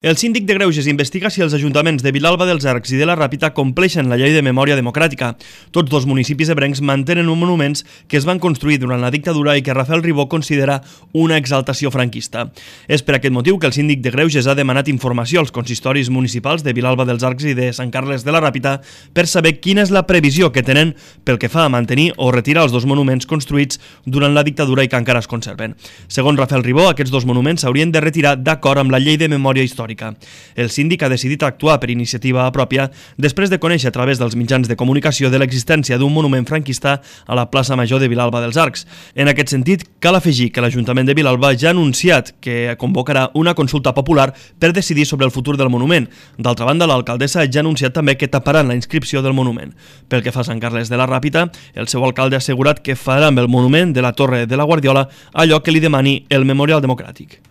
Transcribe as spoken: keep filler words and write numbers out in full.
El síndic de Greuges investiga si els ajuntaments de Vilalba dels Arcs i de la Ràpita compleixen la llei de memòria democràtica. Tots dos municipis ebrencs mantenen uns monuments que es van construir durant la dictadura i que Rafael Ribó considera una exaltació franquista. És per aquest motiu que el síndic de Greuges ha demanat informació als consistoris municipals de Vilalba dels Arcs i de Sant Carles de la Ràpita per saber quina és la previsió que tenen pel que fa a mantenir o retirar els dos monuments construïts durant la dictadura i que encara es conserven. Segons Rafael Ribó, aquests dos monuments s'haurien de retirar d'acord amb la llei de memòria històrica. El síndic ha decidit actuar per iniciativa pròpia després de conèixer a través dels mitjans de comunicació de l'existència d'un monument franquista a la plaça Major de Vilalba dels Arcs. En aquest sentit, cal afegir que l'Ajuntament de Vilalba ja ha anunciat que convocarà una consulta popular per decidir sobre el futur del monument. D'altra banda, l'alcaldessa ja ha anunciat també que taparan la inscripció del monument. Pel que fa a Sant Carles de la Ràpita, el seu alcalde ha assegurat que farà amb el monument de la Torre de la Guardiola allò que li demani el Memorial Democràtic.